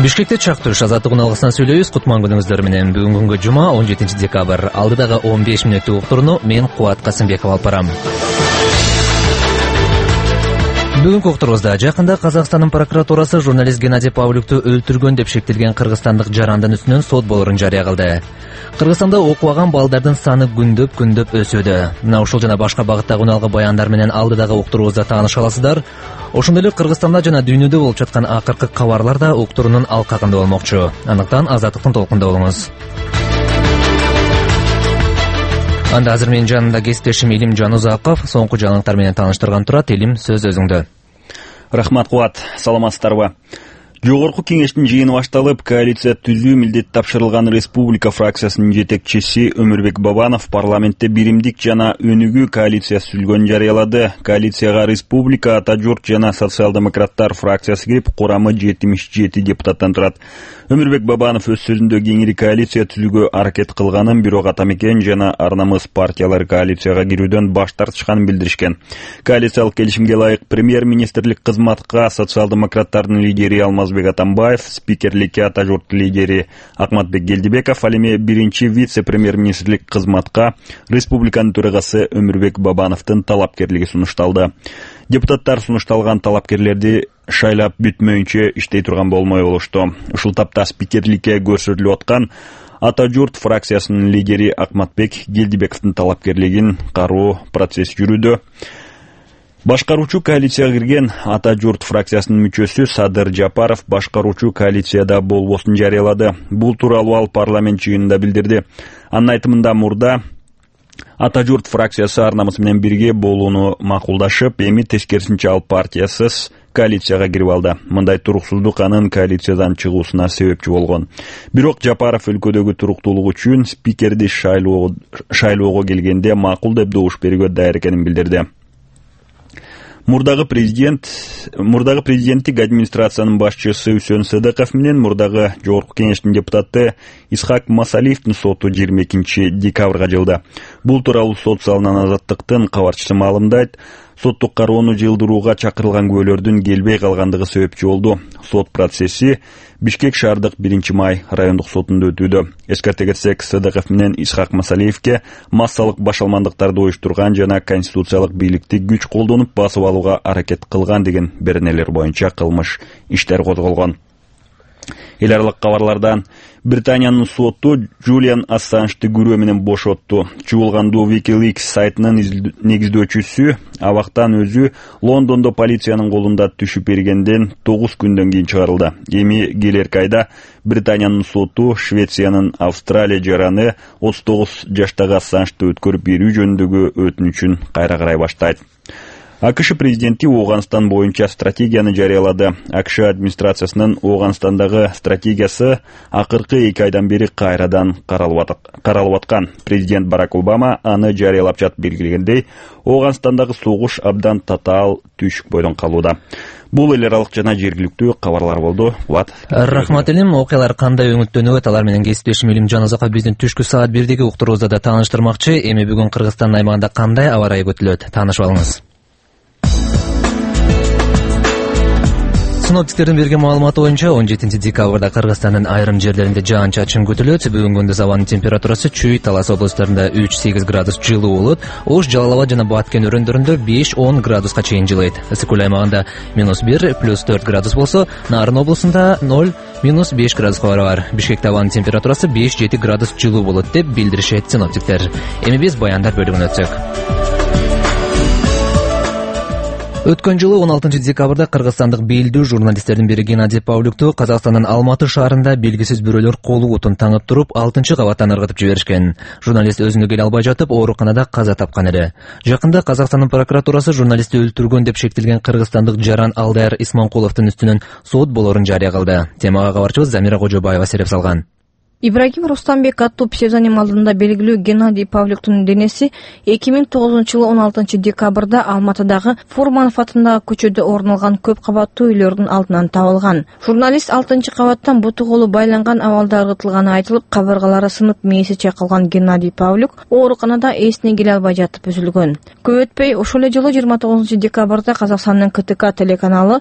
Бишкекте чактыш азаттык уналгысынан сүйлөйбүз. Кутман күнүңүздөр менен. Бүгүн күнгө жума 17 декабрь. Алдыдагы 15 мүнөттүк уктурууну мен Кубат Касымбеков алып барам. Бүгүнкү уктуруубузда жакында Казакстандын прокуратурасы журналист Геннадий Павлюкту өлтүргөн деп шектелген кыргызстандык жарандын үстүнөн сот болорун жарыя кылды. Кыргызстанда окубаган балдардын саны күндөп өсүүдө. Мына ушул жана башка багыттагы уналгы баяндар менен алдыдагы уктуруубузда тааныша аласыздар. Ошондой эле Кыргызстанда жана дүйнөдө болуп жаткан акыркы кабарлар да уктуруунун алкагында болмокчу. Андыктан азаттыктын толкунда болуңуз. Анда азыр менин жанымда кесиптешим Илим Жанузаков соңку жаңылыктар менен тааныштырган турат. Илим, сөз өзүңдө. Рахмат, Кубат. Саламатсыздарбы? Жогорку кеңештин жыйыны башталып, коалиция түзүү милдет тапшырылган Республика фракциясынын жетекчиси Өмүрбек Бабанов парламентте биримдик жана өнүгүү коалициясы түзүлгөнүн жарыялады. Коалицияга Республика, Ата журт жана социал-демократтар фракциясы кирип, курамы 77 депутаттан турат. Өмүрбек Бабанов өз сөзүндө кеңири коалиция түзүүгө аракет кылганын, бирок Атамекен жана Ар намыс партиялары коалицияга кирүүдөн баш тартышканын билдиришкен. Коалициялык келишимге ылайык премьер-министрлик кызматка социал-демократтардын лидери Алмазбек Атамбаев, спикерликке Ата журт лидери Акматбек Келдибеков, ал эми биринчи вице-премьер-министрлик кызматка республиканын төрагасы Өмүрбек Бабановдун талапкерлиги сунушталды. Депутаттар сунушталган талапкерлерди шайлап бүтмөйүнчө иштей турган болмой болушту. Ушул тапта спикерликке көрсөтүлүп аткан Ата журт фракциясынын лидери Акматбек Келдибековдун талапкерлигин кароо процесси жүрүүдө. Башкаруучу коалицияга кирген Ата журт фракциясынын мүчөсү Садыр Жапаров башкаруучу коалицияда болбосун жарыялады. Бул тууралуу ал парламент жыйынында билдирди. Анын айтымында мурда Ата журт фракциясы Ар намыс менен бирге болууну макулдашып, эми тескерисинче ал партиясыз коалицияга кирип алды. Мындай туруксуздук анын коалициядан чыгуусуна себепчи болгон. Бирок Жапаров өлкөдөгү туруктуулук үчүн спикерди шайлоого келгенде макул деп добуш берүүгө даяр экенин билдирди. Мурдагы президенттик администрациянын башчысы Үсөн Сыдыков менен мурдагы жогорку кеңештин депутаты Исхак Масалиевдин соту 22 декабрга жылды. Бул тууралуу сот залынан Азаттыктын кабарчысы маалымдайт. Соттук кароону жылдырууга чакырылган күбөлөрдүн келбей калгандыгы себепчи болду. Сот процесси Бишкек шаардык 1-май райондук сотунда өтүүдө. Эскерте кетсек, Сыдыков менен Исхак Масалиевке массалык башалмандыктарды уюштурган жана конституциялык бийликти күч колдонуп басып алууга аракет кылган деген беренелер боюнча кылмыш иштер козголгон. Эл аралык кабарлардан Британиянын соту Джулиан Ассанжды күрөө менен бошотту. Чуулгандуу WikiLeaks сайтынын негиздөөчүсү абактан өзү Лондондо полициянын колунда түшүп бергенден 9 күндөн кийин чыгарылды. Эми келерки айда Британиянын соту Швециянын Австралия жараны 39 жаштагы Ассанжды өткөрүп берүү жөнүндөгү өтүнүчүн кайра карай баштайт. АКШ президенти Ооганстан боюнча стратегияны жарыялады. АКШ администрациясынын Ооганстандагы стратегиясы акыркы 2 айдан бери кайрадан каралып аткан. Президент Барак Обама аны жарыялап жатып белгилегендей, Ооганстандагы согуш абдан татаал түйшүк бойдон калууда. Бул эл аралык жана жергиликтүү кабарлар болду. Рахмат Илим. Окуялар кандай өңүттөнөт? Алар менен кесиптешим Илим Жанузаков биздин түшкү саат 1-деги уктуруубузда да тааныштырмакчы. Эми бүгүн Кыргызстандын аймагында кандай аба ырайы күтүлөт? Таанышып алыңыз. Синоптиктердин берген маалыматы боюнча 17 декабрда Кыргызстандын айрым жерлеринде жаан-чачын күтүлөт. Бүгүн күндүз абанын температурасы Чүй, Талас областарында 3-8 градус жылуу болот. Ош, Жалал Абад жана Баткен өрөөндөрүндө 5-10 градуска чейин жылыйт. Ысык көл аймагында -1, +4 градус болсо, Нарын облусунда 0, -5 градуска барабар. Бишкекте абанын температурасы 5-7 градус жылуу болот деп билдиришет синоптиктер. Эми биз баяндар бөлүгүнө өтсөк. Өткөн жылы 16 декабрда кыргызстандык белдүү журналисттердин бири Геннадий Павлюкту Казакстандын Алматы шаарында белгисиз бирөөлөр колу утун таңып туруп, 6-чы кабаттан ыргытып жиберишкен. Журналист өзүнө келе албай жатып, ооруканада каза тапкан эле. Жакында Казакстандын прокуратурасы журналистти өлтүргөн деп шектелген кыргызстандык жаран Алдайыр Исманкуловдун үстүнөн сот болорун жарыя кылды. Темага кабарчыбыз Замира Кожобаева сереп салган. Ибрагим Рустамбек аттуу псевдоним алдында белгилүү Геннадий Павлюктун денеси 2009-жылы 16 декабрда Алматыдагы Фурманов атындагы көчөдө орун алган көп кабаттуу үйлөрдүн алдынан табылган. Журналист 6-кабаттан буту колу байланган абалда ыргытылганы айтылып, кабыргалары сынып мээси чайкалган Геннадий Павлюк ооруканада эсине келе албай жатып үзүлгөн. Көп өтпөй ошол эле жылы 29 декабрда Казакстандын КТК телеканалы